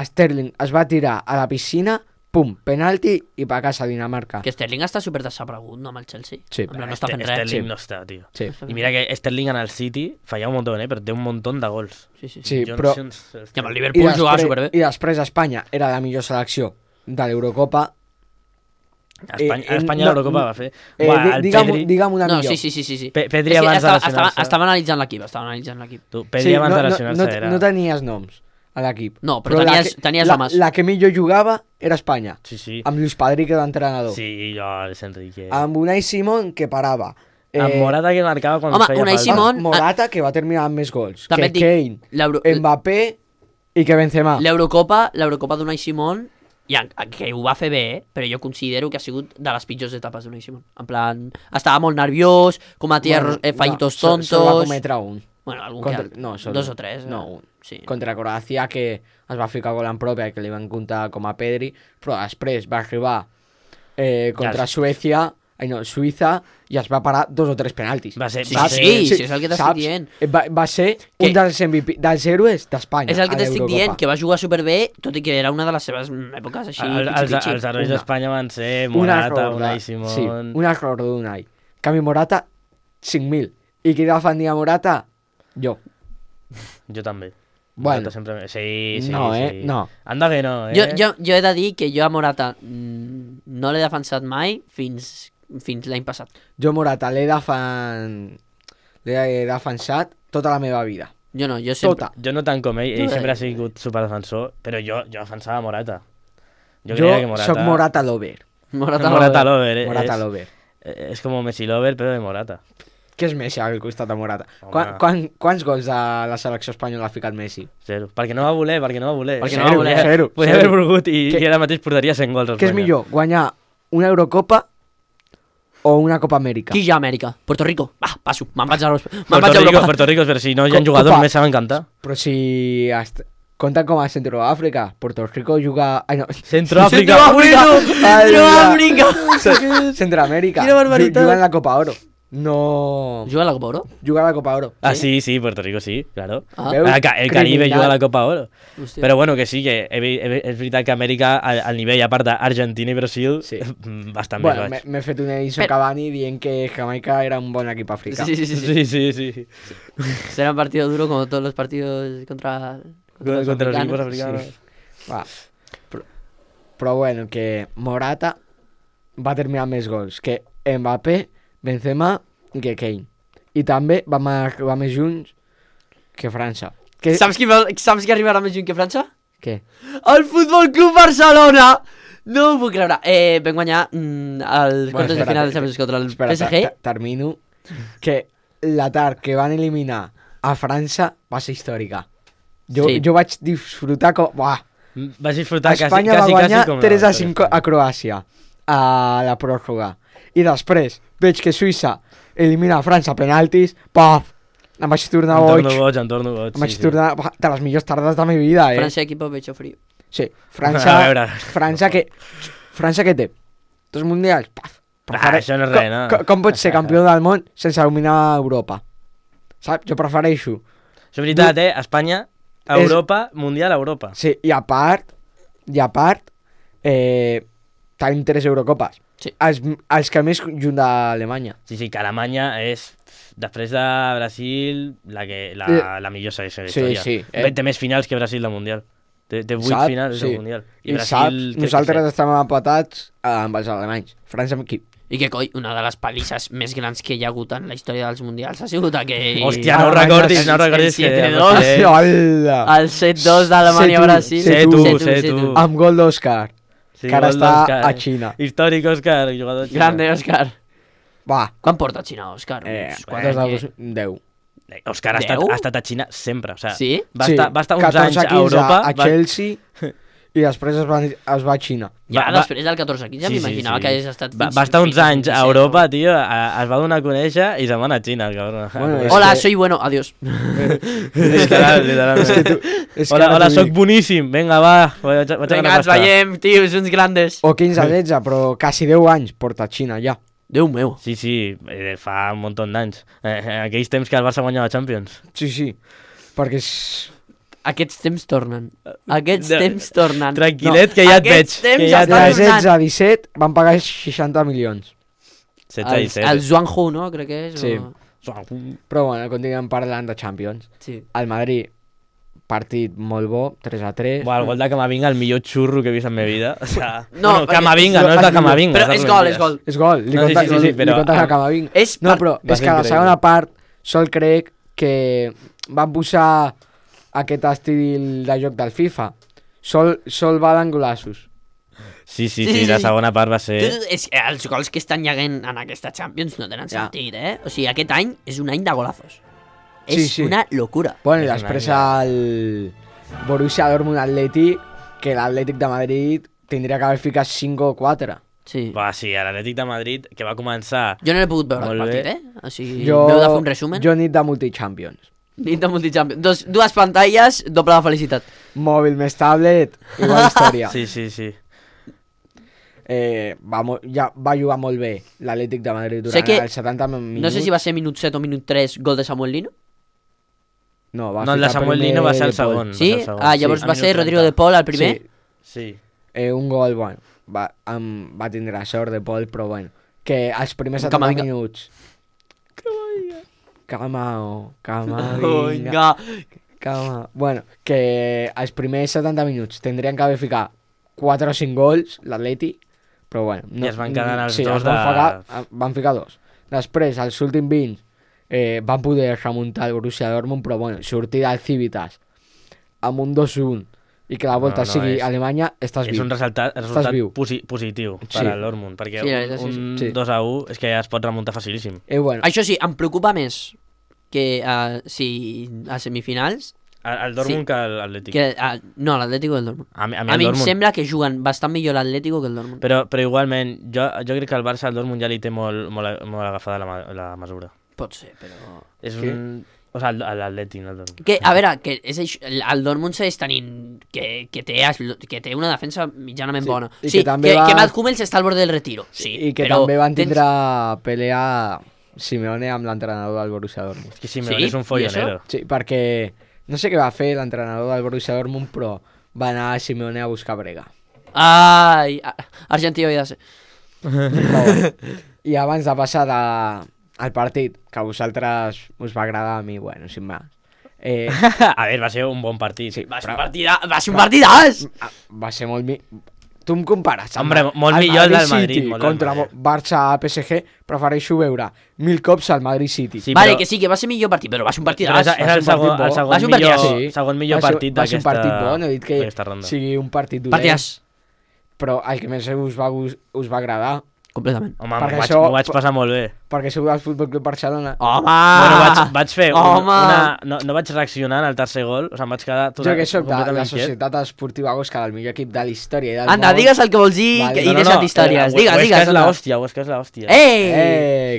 Sterling es va tirar a la piscina pum, penalti i per casa Dinamarca. Que Sterling està super desaparegut, no, amb el Chelsea. Sí. En plan, no està fent res. Sterling no està, tio. Sí. I mira que Sterling en el City falla un montón, però té un montón de gols. Sí, Jo però... No sé I amb el Liverpool jugava superbé. I després Espanya era la millor selecció de l'Eurocopa. Espanya l'Eurocopa va fer... Digue'm una No, millor. sí. Pedri abans de lesionar-se. Estava analitzant l'equip, Tu, Pedri abans de lesionar-se era... No tenies noms a l'equip. No, però tenies homes. La que millor jugava era Espanya. Sí. Amb Luis Padrique d'entrenador. Sí, jo, Luis Enrique. Amb Unai Simón, que parava. Amb Morata, que marcava quan feia Unai falta. Simón... Morata, que va terminar amb més gols. També Que Kane, Mbappé i que Benzema. L'Eurocopa d'Unai Simón, que ho va fer bé, però jo considero que ha sigut de les pitjors etapes d'Unai Simón. En plan, estava molt nerviós, cometia fallitos tontos... Solo va cometre un. Bueno, algun dos o tres. No, un. Sí. Contra Croàcia, que es va ficar gol en pròpia, que li van comptar com a Pedri, però després va arribar contra Suïssa, i es va parar 2 o 3 penaltis. Va ser, sí, és el que t'estic dient. Va ser un dels MVP, dels héroes d'Espanya. És el que t'estic dient, que va jugar superbé, tot i que era una de les seves èpoques així. Els herois d'Espanya van ser Morata, Unai Simón... Sí, un error d'Unai. Canvi Morata, 5.000. I qui defendia Morata? Jo. Jo també. Bueno. Sempre... Sí. No. Anda que no, Jo he de dir que jo a Morata no l'he defensat mai fins l'any passat. Jo Morata l'he defensat tota la meva vida. Jo no, jo sempre... Tota. Jo no tant com ell sempre ha sigut superdefensor, però jo defensava Morata. Jo soc Morata lover. Morata lover. Morata lover. És com Messi lover, però de Morata. Què és Messi al costat de Morata? Quants gols de la selecció espanyola ha ficat Messi? 0. Perquè no va voler. Zero. Podria haver volgut i ara mateix portaria 100 gols. Què és millor, guanyar una Eurocopa o una Copa Amèrica? Qui ja Amèrica? Puerto Rico. Va, passo. Me'n vaig a Europa. Puerto Rico, però si no hi ha jugadors més saben cantar. Però si... Compten com a Centroàfrica. Puerto Rico juga... Ai, no. Centroàfrica! Centroamèrica. Quina barbaritat. Juga en la Copa Oro. No... Juga a la Copa Oro? Juga a la Copa Oro. Ah, sí, Puerto Rico sí, claro. Veus? El Caribe juga a la Copa Oro. Hòstia. Però bueno, que sí, que és veritat que Amèrica, al nivell, a part d'Argentina i Brasil, bastant més baix. M'he fet un Edison Cavani dient que Jamaica era un bon equip africà. Sí. Será un partido duro como todos los partidos contra los equipos africanos. Sí. Va. Però bueno, que Morata va terminar més gols que Mbappé, Benzema i que Kane. I també vam arribar més junts que França. Saps qui arribarà més junt que França? Què? El Futbol Club Barcelona! No ho puc creure. Vam guanyar els quartos de final de Champions contra el PSG. Termino. Que l'atac que van eliminar a França va ser històrica. Jo vaig disfrutar com... Vas disfrutar Espanya va guanyar 3-5 a Croàcia a la pròrroga. I després veig que Suïssa elimina a França a penaltis. Paf! Em vaig tornar boig. Em torno boig. Em vaig tornar de les millors tardes de la meva vida, França, equipo pecho frío. Sí, França que té 2 mundials. Paf! Això no és res, no? Com pots ser campió del món sense eliminar Europa? Saps? Jo prefereixo. Això és veritat, Espanya, Europa, Mundial, Europa. Sí, i a part, tenim 3 Eurocopes. Sí. Els que més junt d'Alemanya. Sí, que Alemanya és, després de Brasil, la millor selecció de la història. Sí. Té més finals que Brasil del Mundial. Té 8 finals del Mundial. I Brasil, nosaltres estem empatats amb els alemanys. França amb qui? I que coi, una de les palisses més grans que hi ha hagut en la història dels mundials ha sigut aquell... Hòstia, no recordis el 7-2. El 7-2 d'Alemanya-Brasil. 7-1. Amb gol d'Òscar. Sí, que ara està a Xina. Històric, Òscar, jugador de Xina. Grande, Òscar. Va. Quan porta a Xina, Òscar? 10. Òscar ha estat a Xina sempre. O sigui, sí? Va estar uns anys a Europa. A Chelsea i després es va a Xina. Ja, després del 14-15 m'imaginava que hagués estat... Va estar uns anys a Europa, tio, es va donar a conèixer i se'n va anar a Xina, el cabrón. Hola, soy bueno, adiós. Literalment. Hola, soc boníssim, vinga, va. Vinga, ens veiem, tios, uns grandes. O 15-16, però quasi 10 anys porta a Xina, ja. Déu meu. Sí, fa un munt d'anys. Aquells temps que el Barça guanyava Champions. Sí, perquè Aquests temps tornen. Aquests temps tornen. Tranquil·let, que ja et veig. Aquests temps Que ja De estan 16 tornant. a 17 van pagar 60 milions. 16 i 17. El Zhuanghu, no? Crec que és. Sí. O... Però bueno, continuem parlant de Champions. Sí. El Madrid, partit molt bo, 3-3. Buah, el gol de Camavinga, el millor xurro que he vist en la meva vida. O sea, No, bueno, perquè- Camavinga, no és de Camavinga. Però és gol, és gol. És gol, li No, sí, comptes, sí, sí, però- li comptes a Camavinga. És No, però Va és ser que a la increïble. segona part sol crec que van posar aquest estil de joc del FIFA. Sol valen golaços. Sí, Sí, sí, sí, la sí. segona part va ser... És que els gols que estan llegant en aquesta Champions no tenen Ja. sentit, eh? O sigui, aquest any és un any de golazos. Sí, És sí. una locura. Bueno, i És després una el Borussia Dortmund Atlètic, que l'Atlètic de Madrid tindria que haver ficat 5 o 4. Sí. Va, sí, a l'Atlètic de Madrid, que va començar... Jo no he pogut veure el Molt partit, bé. eh? O sigui, m'heu de fer un resumen. Jo nit de multichampions. Nit de multichampions. Dues pantalles, doble de felicitat. Mòbil més tablet, igual història. Sí, sí, sí. Va jugar molt bé l'Atlètic de Madrid durant Sé que- els 70 minuts. No sé si va ser minut 7 o minut 3 gol de Samuel Lino. No, va No, el de ficar Samuel primer Lino va ser el De Paul. segon. Sí? Va ser el segon. Ah, llavors Sí, va al ser minut Rodrigo 30. de Paul el primer. Sí, Sí. un gol, bueno, va tindre sort de Paul, però bueno, que els primers 70 Camavinga. minuts... Camavinga. Bueno, que els primers 70 minuts tindrien que haver ficat 4 o 5 gols, l'Atleti, però bueno... I es van quedar els sí, dos es van de- van ficar 2. Després, als últims 20, van poder remuntar el Borussia Dortmund, però bueno, sortir del Civitas amb un 2-1 i que la volta No, no, sigui és- Alemanya, estàs És viu. un resultat viu. positiu per Sí. al Dortmund, perquè Sí, la veritat, sí, un sí. 2-1 és que ja es pot remuntar facilíssim. Bueno, Això sí, em preocupa més que si a semifinals El Dortmund Sí. que l'Atlètic. que no, l'Atlético del Dortmund. A mi A el mi em Dortmund... sembla que juguen bastant millor l'Atlético que el Dortmund. Però igualment, jo crec que el Barça al Dortmund ja li té molt agafada la mesura. Pot ser, però... És Què? un... O sigui, l'Atlètic, no el Dortmund. Que, a veure, que és això, el Dortmund segueix tenint que té una defensa mitjanament Sí, bona. i Sí, que també que va- Matt Hummels està al borde del retiro. Sí, i que però també van tens- tindre a pelear Simeone amb l'entrenador del Borussia Dortmund. És que Simeone Sí? és un I follonero. Sí, perquè no sé què va fer l'entrenador del Borussia Dortmund, però va anar a Simeone a buscar brega. Ai, Argentina havia de ser. Però bueno. I abans de passar al partit, que a vosaltres us va agradar, a mi, bueno, sin más. A veure, va ser un bon partit. Sí, Va ser però- va ser un partidàs! Va ser molt... Tu em compares amb Hombre, molt millor el del Madrid, City molt del contra Madrid. Barça PSG, prefereixo veure 1000 cops al Madrid City. Sí, Vale, però- que sí, que va ser millor partit, però va ser un Però partidàs. és el segon, partit bo. el segon Va ser un millor, partidàs. Sí. segon millor Va ser- partit va ser un d'aquesta partit bo, no he dit que d'aquesta ronda. sigui un partit dolent, Partidàs. però el que més us va agradar, Completament. Home, Perquè m'ho vaig passar molt bé. perquè sou del Futbol Club Barcelona. Home! Bueno, vaig fer Home! no vaig reaccionar en el tercer gol, o sigui, em vaig quedar Jo que sóc de la completament quiet. Societat Esportiva Osca, el millor equip de la història i del Anda, món. digues el que vols dir Vale. i deixa't històries. Digues, Huesca digues. és anda. l'hòstia, Huesca és l'hòstia.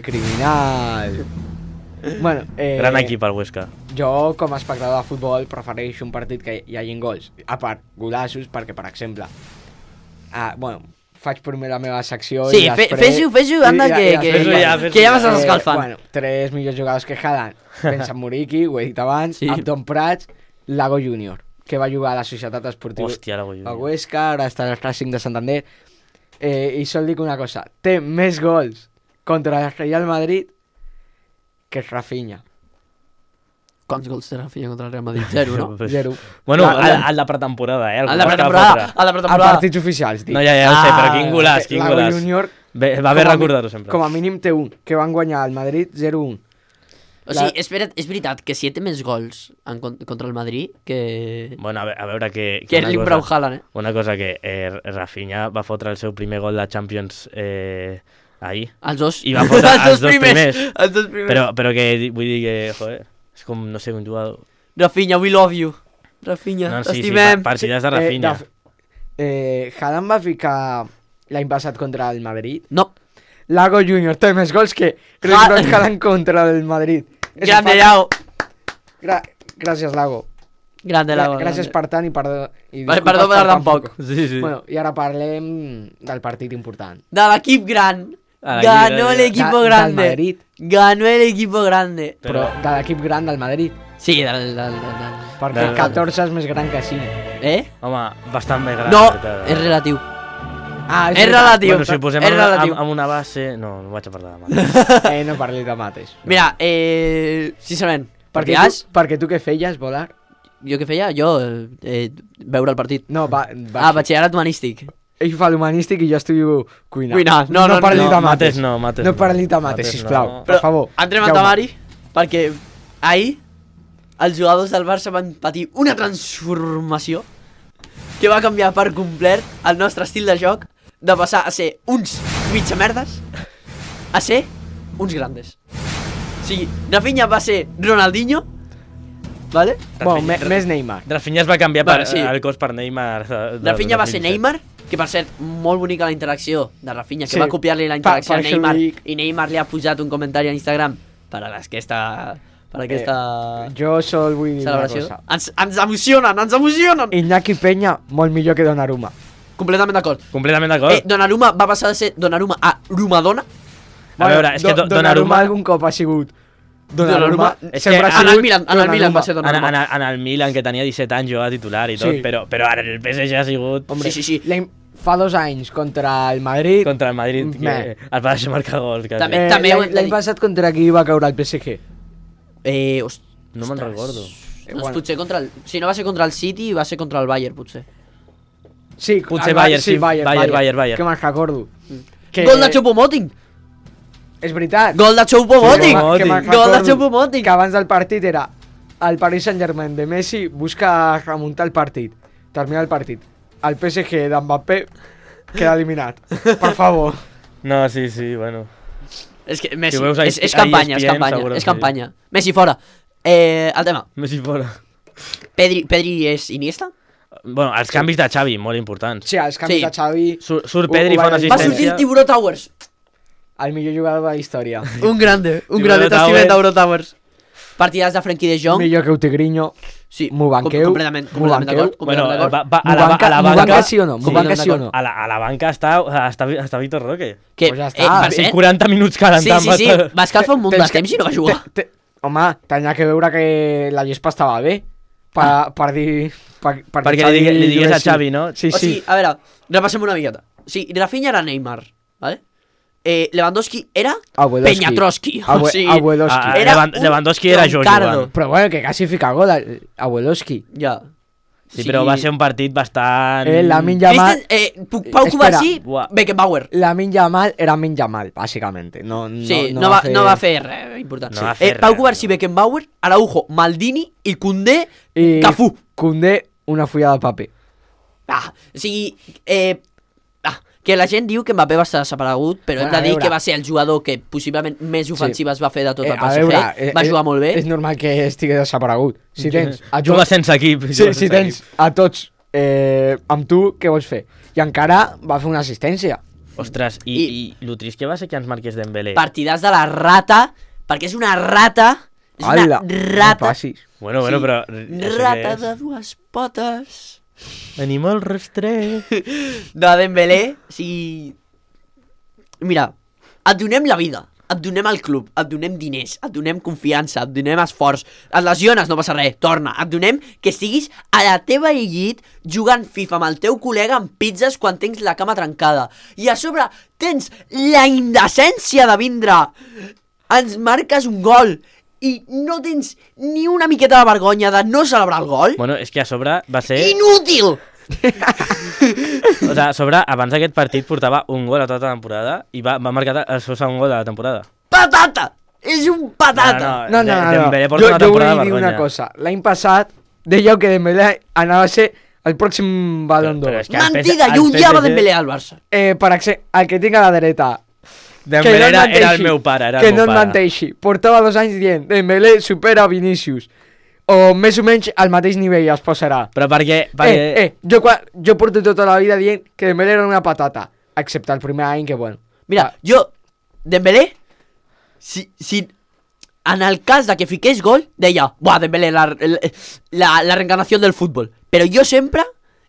Criminal! Bueno, Gran equip, el Huesca. Jo, com a espectador de futbol, prefereixo un partit que hi hagin gols. A part, golassos, perquè, per exemple, bueno, faig primer la meva secció Sí, i després... fes-ho, anda, que fes-ho ja ja. m'estàs escalfant. Bueno, 3 millors jugadors que Haaland. Vincent Muriqui, ho he dit abans, Sí. Abdon Prats, Lago Júnior, que va jugar a la Societat Esportiva Hòstia, la a Goyo. Huesca, ara està al Racing de Santander. I sol dic una cosa, té més gols contra el Real Madrid que Rafinha. Quants gols té Rafinha contra el Real Madrid? 0, no? 0. Bueno, La- al de pretemporada, A la El pretemporada, a la A pretemporada. partits oficials, dic. No, ja ho sé, però Ah, quin golaç, quin Lago golaç. Júnior, Va bé com a recordar-ho sempre. com a mínim té un, que van guanyar al Madrid 0-1. O sigui, és veritat que si té més gols contra el Madrid que Bueno, a veure que que una Erling cosa- Braut Haaland, eh? Una cosa que Rafinha va fotre el seu primer gol de Champions ahir. Els dos. I va posar els dos primers. Els dos primers. Però que vull dir que, joder, és com, no sé, un jugador... Rafinha, we love you. Rafinha, No, sí, t'estimem. partides de Rafinha. Haaland va ficar l'any passat contra el Madrid. No, Lago Júnior té més gols que Haaland contra el Madrid. És grande un Lago. Gràcies, Lago. Grande Lago. Gràcies per tant i perdó. I Per- disculpes perdó per tan poc. Sí, sí. Bueno, i ara parlem del partit important. De l'equip gran. Ah, Ganó del el equipo Del grande. Madrid, Ganó el equipo grande. però de l'equip gran del Madrid. Sí, Perquè 14 és més gran que 5. Home, bastant més gran. No, la veritat. és relatiu. Ah, És relatiu. Bueno, si ho posem és relatiu. amb una base... No vaig a parlar de mates. No parli de mates. Mira, sincerament, Perquè tu què feies, volar? jo què feia? Jo, veure el partit. No, Batxillerat humanístic. ell fa l'humanístic i jo estudio cuinar. Cuinar, no parli de mates mates. no, mates No parli de mates, sisplau, no. per favor. Entrem a temari, perquè ahir els jugadors del Barça van patir una transformació que va canviar per complet el nostre estil de joc, de passar a ser uns mitjamerdes a ser uns grandes. O sigui, Rafinha va ser Ronaldinho, vale? Bueno, més Neymar. Rafinha es va canviar el cos per Neymar. Rafinha va ser Neymar, que per cert, molt bonica la interacció de Rafinha, que Sí. va copiar-li la interacció a Per això Neymar, dic. i Neymar li ha posat un comentari a Instagram per a aquesta Jo sol vull dir una celebració. cosa. Ens emocionen! Iñaki Peña, molt millor que Donnarumma. Completament d'acord. Completament d'acord. Donnarumma va passar de ser Donnarumma a Rumadona. A veure, és que Donnarumma algun cop ha sigut Donnarumma és sempre que ha en el sigut Milan va ser Donnarumma. En el Milan, que tenia 17 anys, jugava titular i tot, Sí. però ara el PSG ha sigut Hombre, Sí. Fa 2 anys contra el Madrid. contra el Madrid, que Meh. el va deixar marcar gols. Que També- ho hem de L'any dir. passat contra qui va caure el PSG? No me'n recordo. Doncs potser contra el... Si no va ser contra el City, va ser contra el Bayern, potser. Sí, Potser el Bayern, sí, Bayern. Bayern. Que me'n recordo. Gol de Choupo-Moting! És veritat. Gol de Choupo-Moting! Que me'n Gol de recordo Choupo-Moting! que abans del partit era el Paris Saint-Germain de Messi busca remuntar el partit, terminar el partit. El PSG d'Mbappé queda eliminat. Per favor. No, sí, bueno. És que Messi, Si ho veus a és campanya, és ESPN, campanya, seguro és que campanya. Messi fora. El tema. Messi fora. Pedri és Iniesta? Bueno, els canvis de Xavi, molt importants. Sí, els canvis Sí. de Xavi, Surt Pedri, fa una Va Va sortir assistència. el Tiburó Towers. el millor jugador de la història. Un grande Tiburó t'estimem Towers. Tiburó Towers. Partides de Frenkie de Jong. Millor que Utigrinho. Sí, M'ho banqueu. completament M'ho banqueu. d'acord. Bueno, completament d'acord. a la M'ho banca... banca sí o no? M'ho Sí, banca sí o no? A la banca està Víctor Roque. Que, Pues ja està. per cert, 40 minuts sí, calentant. sí, va escalfar un munt de temps i no va jugar. Home, tenia que veure que la gespa estava bé per dir... Perquè li digués a Xavi, no? Sí, O sí. sigui, a veure, repassem una miqueta. O sigui, Rafinha era Neymar, ¿vale? Lewandowski era Abueloski. Peñatroski. O sigui, Abueloski. era un Lewandowski era jo troncardo. jugant. Però bueno, que quasi fica gol, Abueloski. ja. Sí, però va ser un partit bastant... Lamine Yamal... Pau Espera. Cubarsí, Buah. Beckenbauer. Lamine Yamal era Lamine Yamal, bàsicament. Sí, no va fer res important. No va fer Pau res, Cubarsí, no. Beckenbauer, Araujo, Maldini i Koundé, I Cafú. Koundé, una fulla de paper. O sigui, que la gent diu que Mbappé va estar desaparegut, però hem Bueno, de dir a veure. que va ser el jugador que possiblement més ofensives va fer de tot el a PSG. veure, Va jugar molt bé. És normal que estigui desaparegut. Si tens a Juga sense equip. Sí, si tens a tots amb tu, què vols fer? I encara va fer una assistència. Ostres, i lo trist que va ser que ens marqués Dembélé. Partidars de la rata, perquè és una rata, és una Ala, no rata, passis. Bueno, Sí. però... rata de dues potes. Animal rastrer. De Dembélé, o sigui... Mira, et donem la vida, et donem el club, et donem diners, et donem confiança, et donem esforç, et lesiones, no passa res, torna, et donem que estiguis a la teva llit jugant FIFA amb el teu col·lega amb pizzas quan tens la cama trencada. I a sobre tens la indecència de vindre, ens marques un gol i no tens ni una miqueta de vergonya de no celebrar el gol. Bueno, és que a sobre va ser... Inútil! O sigui, a sobre, abans d'aquest partit portava un gol a tota la temporada i va marcar el seu segon gol de la temporada. Patata! És un patata! No. Dembélé porta una Jo temporada vull de dir una vergonya. cosa. L'any passat dèieu que Dembélé anava a ser el pròxim Ballon Però d'Or. és que el Mentida, el jo odiava PSG Dembélé al Barça. Per exemple, el que tinc a la dreta, Dembélé no era menteixi, el meu pare, era que el no meu et pare. menteixi. Portava 2 anys dient Dembélé supera Vinícius. O més o menys al mateix nivell es posarà. Però perquè... Jo porto tota la vida dient que Dembélé era una patata. Excepte el primer any que, bueno... Mira, jo, Dembélé, si en el cas de que fiqués gol, deia, buah, Dembélé, la reencarnació del futbol. Però jo sempre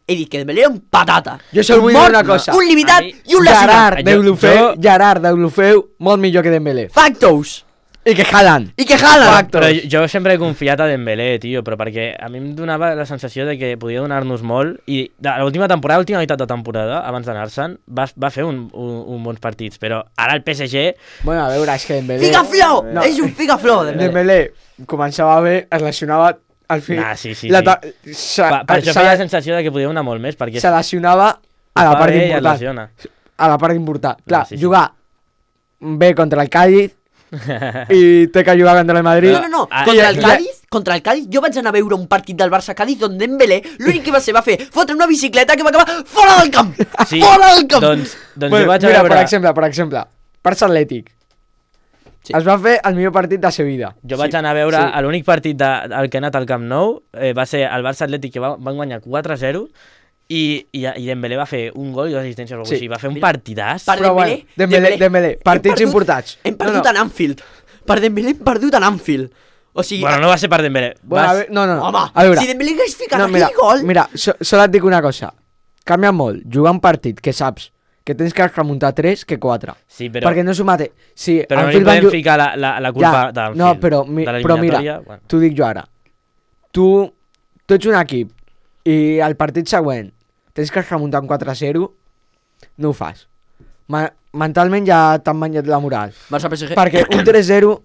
he dit que Dembélé era un patata. Jo sol Un vull dir mort, una cosa. Un limitat A mi- i un lesionat. Gerard Deulofeu molt millor que Dembélé. Factos! I que Haaland. I que Haaland! Però jo sempre he confiat a Dembélé, tio, però perquè a mi em donava la sensació de que podia donar-nos molt i l'última temporada, l'última meitat de temporada, abans d'anar-se'n, va fer un bons partits, però ara el PSG... Bueno, a veure, és que Dembélé... Figaflor! No. És un figaflor, Dembélé. Dembélé començava bé, es lesionava al fi... Nah, sí. Per això feia la sensació de que podia donar molt més, perquè se lesionava a la part important. lesiona. A la part important. Clar, Sí. jugar bé contra el Cádiz i té que jugar contra el Madrid. No. Ah, Contra el Cádiz, jo vaig anar a veure un partit del Barça-Cádiz on Dembélé l'únic que va fer fotre una bicicleta que va acabar fora del camp! Sí, Fora del camp! Doncs Bueno, jo vaig a mira, veure... per exemple, Barça Atlètic. Sí. Es va fer el millor partit de sa vida. Jo vaig anar a veure l'únic partit del que he anat al Camp Nou, va ser el Barça Atlètic, que van guanyar 4-0, i Dembélé va fer un gol i 2 assistències o alguna cosa així. Va fer un partidàs. Per Però bueno, Dembélé, partits importants. Hem perdut en Anfield. Per Dembélé hem perdut en Anfield. O sigui... Bueno, no va ser per Dembélé. Bueno, a veure, no. Home, A veure, si Dembélé hagués ficat mira, aquell gol... Mira, sol et dic una cosa. Canvia molt jugar un partit que saps que tens que remuntar 3 que 4. Sí, però... Perquè no és el mateix. Sí, Però no li Anfield van podem ficar la culpa d'Anfield. No, però de mira, l'eliminatòria, bueno. t'ho dic jo ara. Tu ets un equip i al partit següent tens que remuntar un 4-0, no ho fas. Mentalment ja t'han menjat la moral. Barça-PSG... Perquè un 3-0...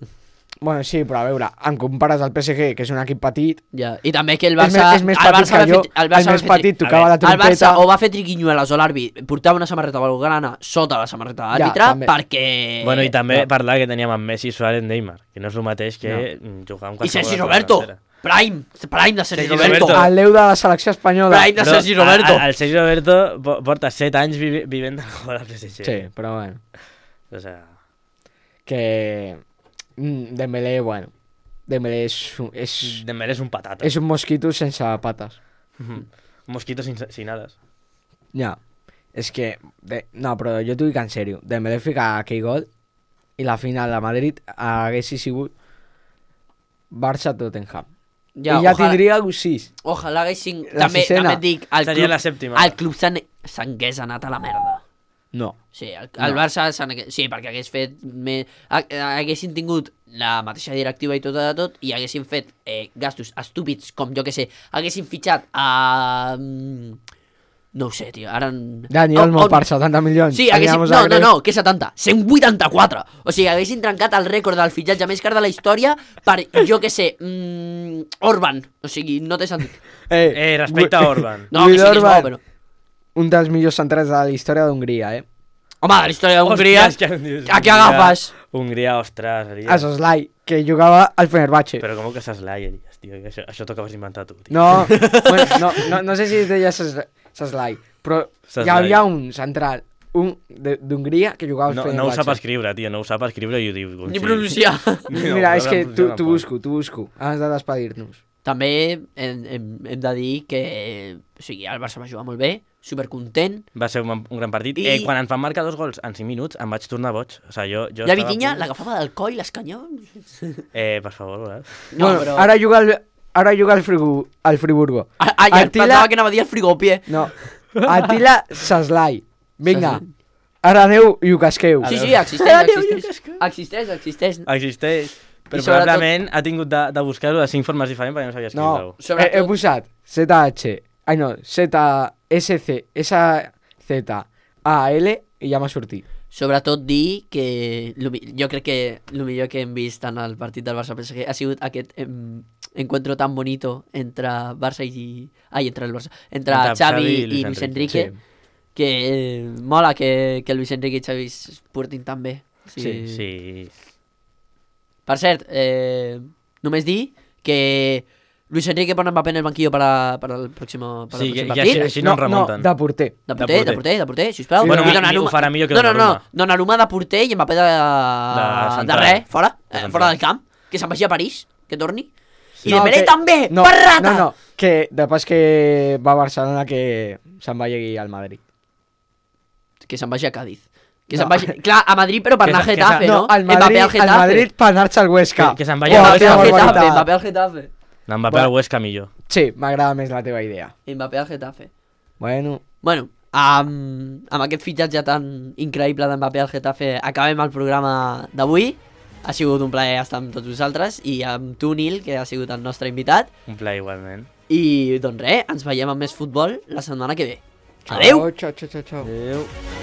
Bueno, sí, però a veure, em compares al PSG, que és un equip petit... Ja. I també que el Barça... És més petit que jo, és més petit, tocava la El Barça trompeta... o va fer triquinyueles o l'àrbit portava una samarreta blaugrana sota la samarreta de l'àrbitre també. perquè... Bueno, i també No. parlar que teníem amb Messi, Suárez, Neymar, que no és el mateix que jugar amb I Sergi qualsevol Roberto! altra. Prime de Sergi Sergi Roberto! Roberto. El Déu de la selecció espanyola. Prime de Sergi Roberto! El Sergi Roberto porta 7 anys vivint del gol al PSG. Sí, però bueno. O sea... Que... Dembélé, bueno... Dembélé Dembélé és un patata. és un mosquito sense pates. Un mosquito sin alas. Ja. És que... No, però jo t'ho dic en sèrio. Dembélé fica aquell gol i la final de Madrid hagués sigut Barça-Tottenham. I ja tindria 6. Ojalà haguessin... La També sisena. et dic, Seria la sèptima. el club s'hagués anat a la merda. No. Sí, el Barça sí, perquè hagués fet haguessin tingut la mateixa directiva i tot de tot i haguessin fet gastos estúpids com jo que sé, haguessin fitxat a... no ho sé, tio, ara... Dani Olmo per 70 milions. Sí, haguessin... No, que 70? 184! O sigui, haguessin trencat el rècord del fitxatge més car de la història per, jo que sé, Orban. O sigui, no té sentit. Respecte a Orban. No, que sí que és bo, però... Un dels millors centrals de la història d'Hongria, Home, de la història d'Hongria... A què agafes? Hongria, ostres... A Soslai, que jugava al Fenerbahce. Però com que Soslai, tio? Això t'ho acabes d'inventar tu, tio. No, bueno, no sé si es deia Soslai, però hi havia un central, un d'Hongria que jugava al Fenerbahce. No ho sap escriure, tio, no ho sap escriure i ho diu... Ni pronunciar. Mira, és que t'ho busco, abans de despedir-nos. També hem de dir que o sigui, el Barça va jugar molt bé, supercontent. Va ser un gran partit. Quan ens van marcar 2 gols en 5 minuts em vaig tornar boig. O sigui, jo la Vitinha l'agafava del coll, l'escanyava... per favor, No, bueno, però... Ara juga al Friburgo. Ja pensava que anava a dir el frigopie. No, Attila Soslai. Vinga, ara aneu i ho casqueu. Sí, existeix. Existeix. Però probablement ha tingut de buscar-ho de 5 formes diferents perquè no sabia escriure-ho. No, he posat ZH, SZAL i ja m'ha sortit. Sobretot dir que jo crec que el millor que hem vist en el partit del Barça-PSG ha sigut aquest encuentro tan bonito entre Barça i... entre Xavi i Luis Enrique, que mola que Luis Enrique i Xavi es portin tan bé. Sí. Per cert, només dir que Luis Enrique pone Mbappé en el banquillo para el próximo partit. Així no remunten. De porter. De porter, sisplau. Bueno, ho farà millor que Donnarumma. Donnarumma de porter i Mbappé de res, fora del camp. Que se'n vagi a París, que torni. I Dembélé també, per rata! No, que després que va a Barcelona que se'n vagi al Madrid. Que se'n vagi a Cádiz. Que se'n vagi... Clar, a Madrid però per anar a Getafe, no? Al Madrid per anar-se al Huesca. Que se'n vagi al Mbappé al Getafe. Mbappé al Huesca millor. Sí, m'agrada més la teva idea. Mbappé al Getafe. Bueno, amb aquest fitxatge tan increïble d'Mbappé al Getafe acabem el programa d'avui. Ha sigut un plaer estar amb tots vosaltres i amb tu, Nil, que ha sigut el nostre invitat. Un plaer igualment. I doncs res, ens veiem amb més futbol la setmana que ve. Adeu! Ciao, ciao, ciao, ciao. Adéu.